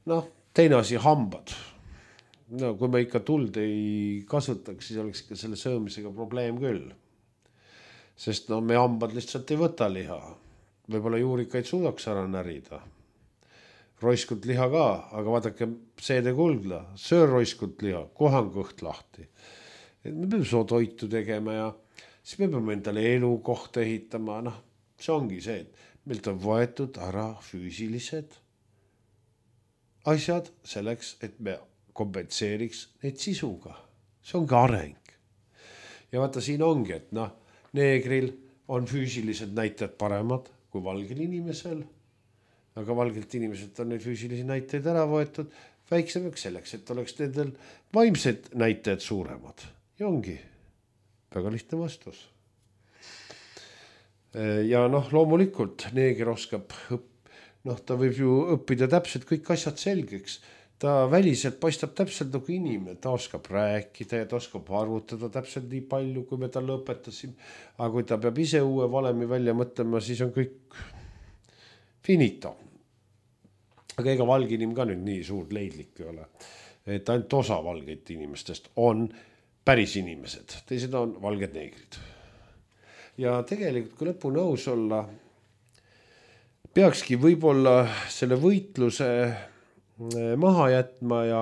Noh, teine asi, hambad. No, kui me ikka tuld ei kasutaks, siis oleks ikka selle söömisega probleem küll. Sest no me hambad lihtsalt ei võta liha. Võib-olla juurikaid suudaks ära närida. Roiskut liha ka, aga vaadake seede kuldla, söör roiskut liha, kohan kõht lahti. Et me peame soo toitu tegema ja siis me peame endale elu kohta ehitama. Noh, see ongi see, et meilt on võetud ära füüsilised asjad selleks, et me kompenseeriks neid sisuga. See ongi areng. Ja vaata, siin ongi, et noh, neegril on füüsilised näitajad paremad kui valgel inimesel, aga valgelt inimeselt on neid füüsilisi näitajaid ära võetud väiksemaks selleks, et oleks nendel vaimsed näitajad suuremad. Ja ongi väga lihtne vastus. Ja noh, loomulikult neeger oskab õppida. Noh, ta võib ju õppida täpselt kõik asjad selgeks. Ta väliselt paistab täpselt nagu inimene. Ta oskab rääkida ja ta oskab arvutada täpselt nii palju, kui me talle õpetasime. Aga kui ta peab ise uue valemi välja mõtlema, siis on kõik finito. Aga ega valge inim ka nüüd nii suur leidlik ei ole. Et ainult osa valgeid inimestest on päris inimesed. Teised on valged neegrid. Ja tegelikult, kui lõpuni aus olla, peakski võib-olla selle võitluse maha jätma ja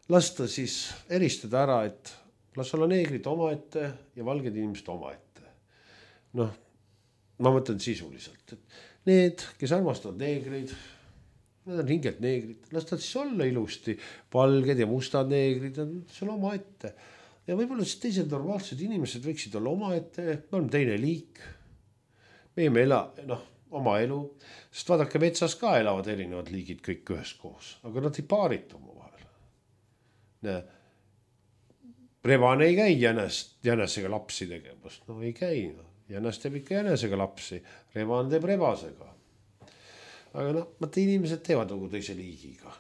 lasta siis eristada ära, et las olla neegrid oma ette ja valged inimesed oma ette. Noh, ma mõtlen sisuliselt, et need, kes armastavad neegreid, need on hingelt neegrid, las ta siis olla ilusti, valged ja mustad neegrid on seal oma ette. Ja võib-olla siis teised normaalsed inimesed võiksid olla oma ette, me oleme teine liik, meie me ela, noh, oma elu, sest vaadake, metsas ka elavad erinevad liigid kõik ühes koos, aga nad ei paaritu oma vahel. Rebane ei käi jänest, jänesega lapsi tegemast, no ei käi, no. Jänes teeb ikka jänesega lapsi, rebane teeb rebasega. Aga noh, mõte inimesed teevad nagu teise liigiga.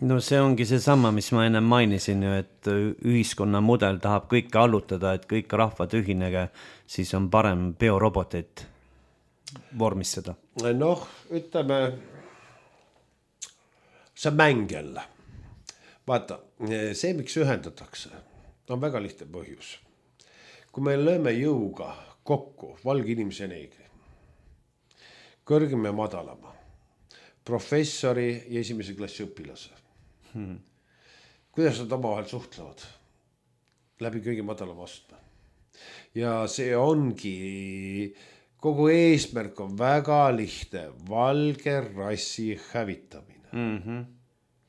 No see ongi see sama, mis ma enne mainisin ju, et ühiskonna mudel tahab kõike allutada, et kõik rahvad ühinege, siis on parem biorobotit vormistada. Noh, ütleme, see mäng jälle. Vaata, see, miks ühendatakse, on väga lihtne põhjus. Kui me lööme jõuga kokku valge inimese ja neegri, kõrgem ja madalama, professori ja esimese klassi õpilase. Hmm. Kuidas nad omavahel suhtlevad? Läbi kõige madalama astme. Ja see ongi... Kogu eesmärk on väga lihtne, valge rassi hävitamine. Mm-hmm.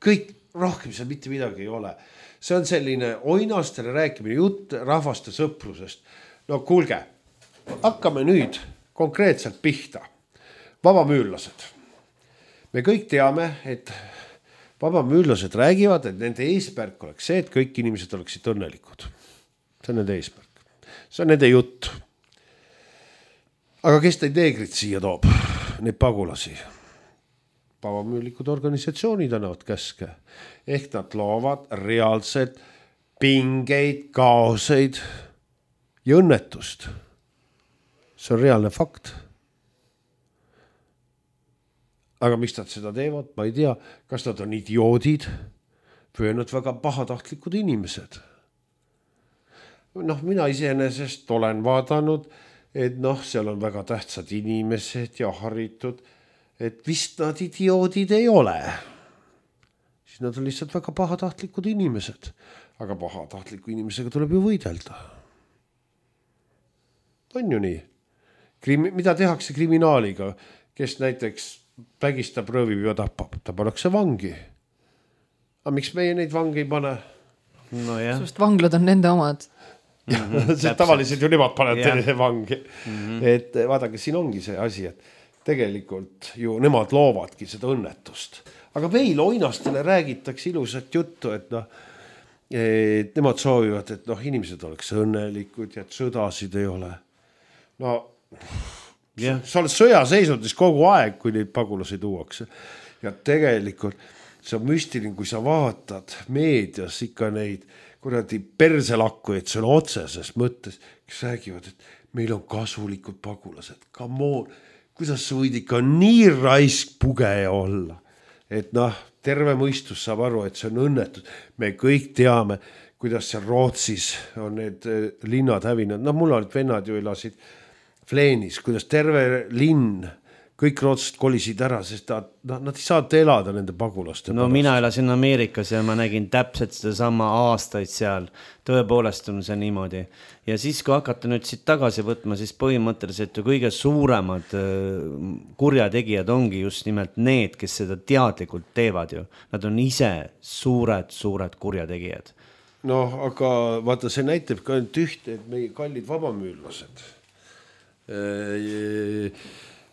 Kõik rohkem seal mitte midagi ei ole. See on selline oinastele rääkimine, jutt rahvaste sõprusest. No kuulge, hakkame nüüd konkreetselt pihta. Vabamüürlased. Me kõik teame, et vabamüürlased räägivad, et nende eesmärk oleks see, et kõik inimesed oleksid õnnelikud. See on nende eesmärk. See on nende jutt. Aga kes neid neegrid siia toob? Neid pagulasi. Vabamüürlikud organisatsioonid annavad käske. Ehk nad loovad reaalselt pingeid, kaoseid ja õnnetust. See on reaalne fakt. Aga miks nad seda teevad? Ma ei tea, kas nad on idioodid või on nad väga pahatahtlikud inimesed. Noh, mina iseenesest olen vaadanud, et noh, seal on väga tähtsad inimesed ja haritud, et vist nad idioodid ei ole. Siis nad on lihtsalt väga pahatahtlikud inimesed. Aga pahatahtliku inimesega tuleb ju võidelda. On ju nii? Krimi, mida tehakse kriminaaliga, kes näiteks vägistab, röövib ja tapab? Ta pannakse vangi. Aga miks meie neid vangi ei pane? No jah. Sest vanglad on nende omad. Mm-hmm, see tavaliselt ju nemad paned yeah. vangi. Mm-hmm. Et vaadake, siin ongi see asi, et tegelikult ju nemad loovadki seda õnnetust. Aga meil oinastele räägitakse ilusat juttu, et noh, et nemad soovivad, et noh, inimesed oleks õnnelikud ja et sõdasid ei ole. No Yeah. Sa oled sõjaseisundis kogu aeg, kui neid pagulasi tuuakse. Ja tegelikult see on müstiline, kui sa vaatad meedias ikka neid kuradi perselakku, et see on otseses mõttes, kes räägivad, et meil on kasulikud pagulased. Come on, kuidas sa võid ikka nii raisk pugeja olla? Et noh, terve mõistus saab aru, et see on õnnetud. Me kõik teame, kuidas seal Rootsis on need linnad hävinud. No mul olid vennad ju elasid Fleenis, kuidas terve linn, kõik rootslased kolisid ära, sest nad, nad ei saanud elada nende pagulaste. No pärast. Mina elasin Ameerikas ja ma nägin täpselt seda sama aastaid seal. Tõepoolest on see niimoodi. Ja siis, kui hakata nüüd siit tagasi võtma, siis põhimõtteliselt ju kõige suuremad kurjategijad ongi just nimelt need, kes seda teadlikult teevad ju. Nad on ise suured, suured kurjategijad. No, aga vaata, see näitab ka ainult ühte, et meie kallid vabamüürlased.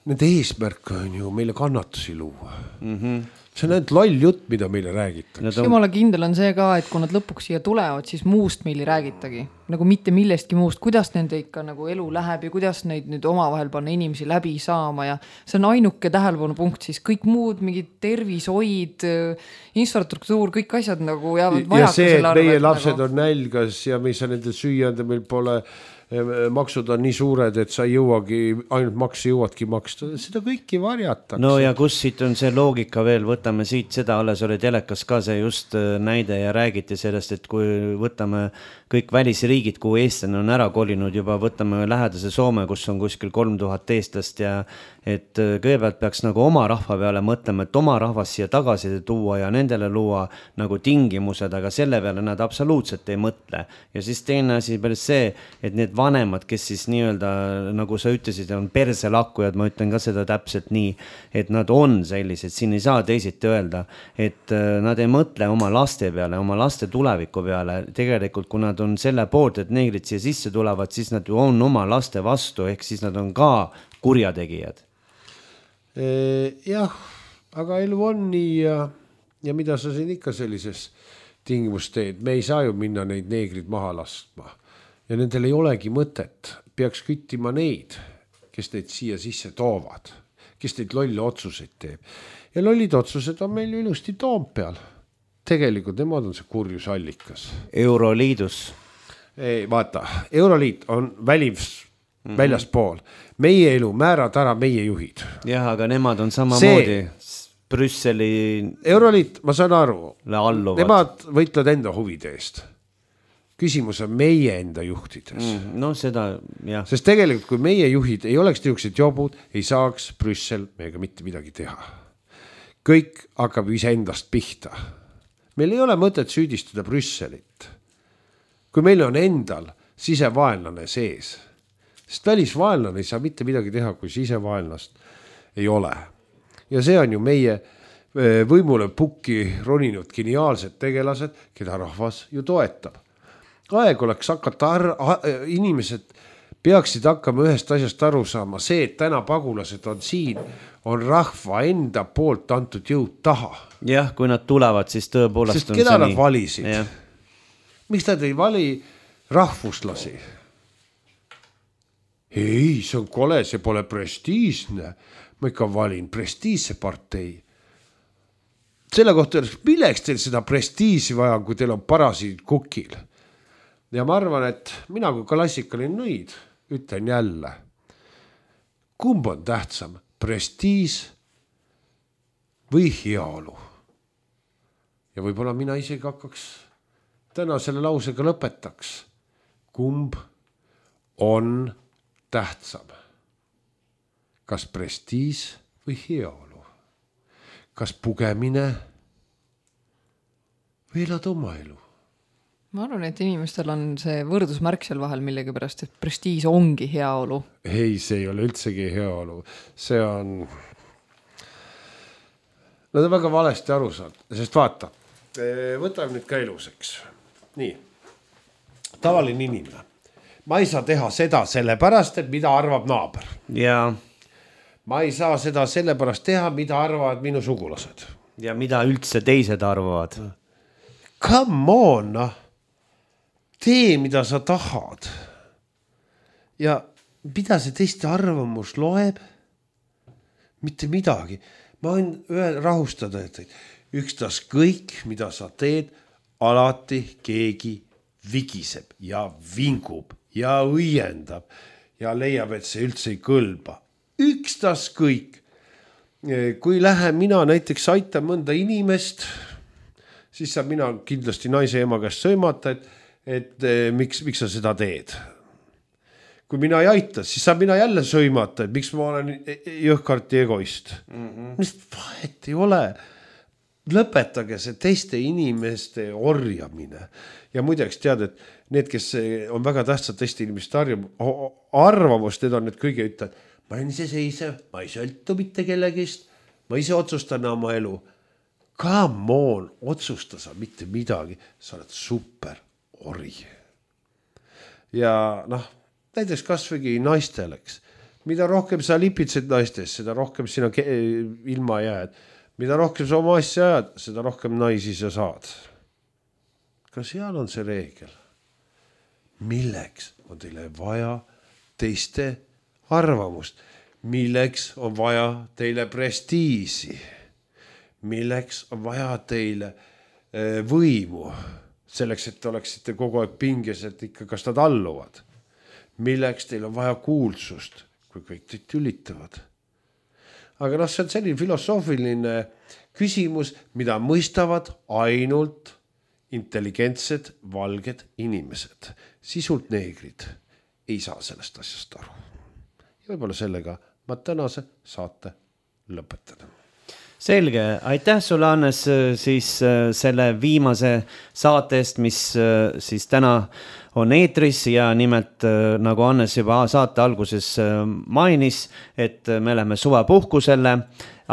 Nende eesmärk on ju meile kannatusi luua. Mm-hmm. See on ainult loll jutt, mida meile räägitakse. On... Jumala kindel on see ka, et kui nad lõpuks siia tulevad, siis muust meil ei räägitagi. Nagu mitte millestki muust, kuidas nende ikka nagu elu läheb ja kuidas neid nüüd omavahel panna inimesi läbi saama ja see on ainuke tähelepanu punkt, siis kõik muud, mingid tervishoid, infrastruktuur, kõik asjad nagu jäävad vajaka. Ja see, et meie lapsed nagu... on nälgas ja mis on nende süüjande, meil pole maksud on nii suured, et sa ei jõuagi, ainult makse jõuadki maksta, seda kõiki varjatakse. No ja kus siit on see loogika veel, võtame siit seda, alles oli telekas ka see just näide ja räägiti sellest, et kui võtame kõik välisriigid, kuhu eestlane on ära kolinud juba, võtame lähedase Soome, kus on kuskil kolm tuhat eestlast ja et kõigepealt peaks nagu oma rahva peale mõtlema, et oma rahvas siia tagasi tuua ja nendele luua nagu tingimused, aga selle peale nad absoluutselt ei mõtle. Ja siis teine asi päris see, et need vanemad, kes siis nii-öelda, nagu sa ütlesid, on perselakkujad, ma ütlen ka seda täpselt nii, et nad on sellised, siin ei saa teisiti öelda, et nad ei mõtle oma laste peale, oma laste tuleviku peale. Tegelikult, kui nad on selle poolt, et neegrid siia sisse tulevad, siis nad ju on oma laste vastu, ehk siis nad on ka kurjategijad. Jah, aga elu on nii ja, ja mida sa siin ikka sellises tingimus teed, me ei saa ju minna neid neegrid maha laskma ja nendel ei olegi mõtet, peaks küttima neid, kes neid siia sisse toovad, kes neid lolle otsuseid teeb ja lollid otsused on meil ilusti Toompeal, tegelikult nemad on see kurjusallikas. Euroliidus. Ei, vaata, Euroliit on välis Mm-hmm. väljaspool. Meie elu määrad ära meie juhid. Jah, aga nemad on samamoodi Brüsseli... Euroliit, ma saan aru. Alluvad. Nemad võitlevad enda huvide eest. Küsimus on meie enda juhtides. Mm, no seda, jah. Sest tegelikult, kui meie juhid ei oleks niisugused jobud, ei saaks Brüssel meiega mitte midagi teha. Kõik hakkab ise endast pihta. Meil ei ole mõtet süüdistada Brüsselit. Kui meil on endal sisevaenlane sees, sest välisvaenlane ei saa mitte midagi teha, kui sisevaenlast ei ole. Ja see on ju meie võimule pukki roninud geniaalsed tegelased, keda rahvas ju toetab. Aeg oleks hakata, ar- inimesed peaksid hakkama ühest asjast aru saama. See, et täna pagulased on siin, on rahva enda poolt antud jõud taha. Jah, kui nad tulevad, siis tõepoolest sest on keda see nad nii. valisid? Ja. Miks nad ei vali rahvuslasi? Ei, see on kole, see pole prestiisne. Ma ikka valin prestiisse partei. Selle kohta öeldes, milleks teil seda prestiisi vaja, kui teil on parasiid kukil? Ja ma arvan, et mina kui klassikaline nõid ütlen jälle, kumb on tähtsam, prestiis või heaolu? Ja võib-olla mina isegi hakkaks täna selle lausega lõpetaks. Kumb on tähtsam? Kas prestiis või heaolu? Kas pugemine või elad oma elu? Ma arvan, et inimestel on see võrdusmärk seal vahel millegi pärast, et prestiis ongi heaolu. Ei, see ei ole üldsegi heaolu. See on... Nad on väga valesti aru saanud, sest vaata, võtame nüüd ka eluseks. Nii, tavaline inimene. Ma ei saa teha seda sellepärast, et mida arvab naaber. Ja. Ma ei saa seda sellepärast teha, mida arvavad minu sugulased. Ja mida üldse teised arvavad. Come on, tee, mida sa tahad. Ja mida see teiste arvamus loeb? Mitte midagi. Ma võin ühe rahustada, et ükstas kõik, mida sa teed, alati keegi vigiseb ja vingub ja õiendab ja leiab, et see üldse ei kõlba. Ükstas kõik. Kui lähen mina näiteks aitan mõnda inimest, siis saab mina kindlasti naise ema käest sõimata, et, et miks, miks sa seda teed. Kui mina ei aita, siis saab mina jälle sõimata, et miks ma olen jõhkarti egoist. Mm-hmm. Mis vahet ei ole. Lõpetage see teiste inimeste orjamine. Ja muideks tead, et need, kes on väga tähtsad teiste inimeste arvamust, need on need kõige ütlevad, ma olen ise seisev, ma ei sõltu mitte kellegist, ma ise otsustan oma elu. Come on, otsusta sa mitte midagi, sa oled super ori. Ja noh, näiteks kasvõi naisteleks. Mida rohkem sa lipitsed naistes, seda rohkem sina ilma jääd. Mida rohkem sa oma asja ajad, seda rohkem naisi sa saad. Ka seal on see reegel. Milleks on teile vaja teiste arvamust? Milleks on vaja teile prestiisi? Milleks on vaja teile võimu? Selleks, et te oleksite kogu aeg pinges, et ikka kas nad alluvad. Milleks teil on vaja kuulsust, kui kõik teid tülitavad? Aga noh, see on selline filosoofiline küsimus, mida mõistavad ainult intelligentsed valged inimesed. Sisult neegrid ei saa sellest asjast aru. Ja võib-olla sellega ma tänase saate lõpetan. Selge, aitäh sulle, Hannes, siis selle viimase saate eest, mis siis täna on eetris ja nimelt nagu Hannes juba saate alguses mainis, et me oleme suvepuhkusele,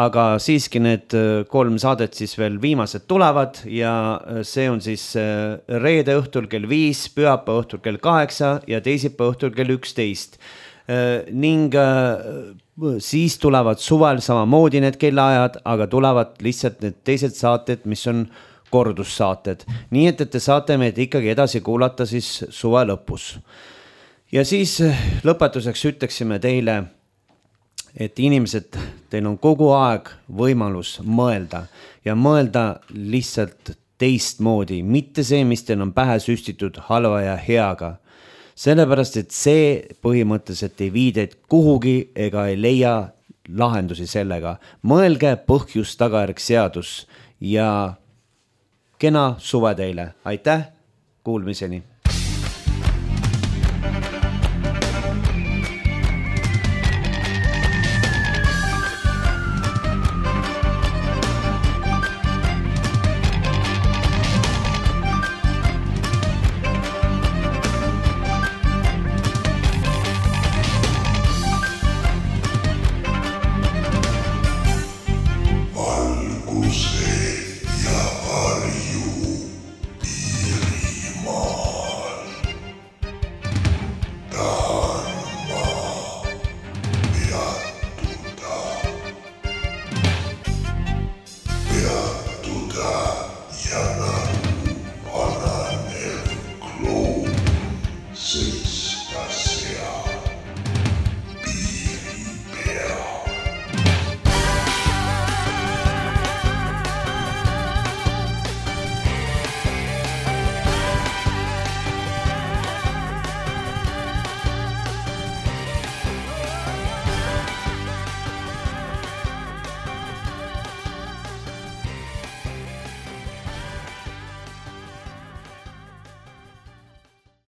aga siiski need kolm saadet siis veel viimased tulevad ja see on siis reede õhtul kell viis, pühapäeva õhtul kell kaheksa ja teisipäeva õhtul kell üksteist. Ning siis tulevad suvel samamoodi need kellaajad, aga tulevad lihtsalt need teised saated, mis on kordussaated. Nii et, et te saate meid ikkagi edasi kuulata siis suve lõpus. Ja siis lõpetuseks ütleksime teile, et inimesed, teil on kogu aeg võimalus mõelda ja mõelda lihtsalt teistmoodi, mitte see, mis teil on pähe süstitud halva ja heaga. Sellepärast, et see põhimõtteliselt ei viideid kuhugi ega ei leia lahendusi sellega. Mõelge põhjus tagajärg seadus ja kena suve teile. Aitäh, kuulmiseni!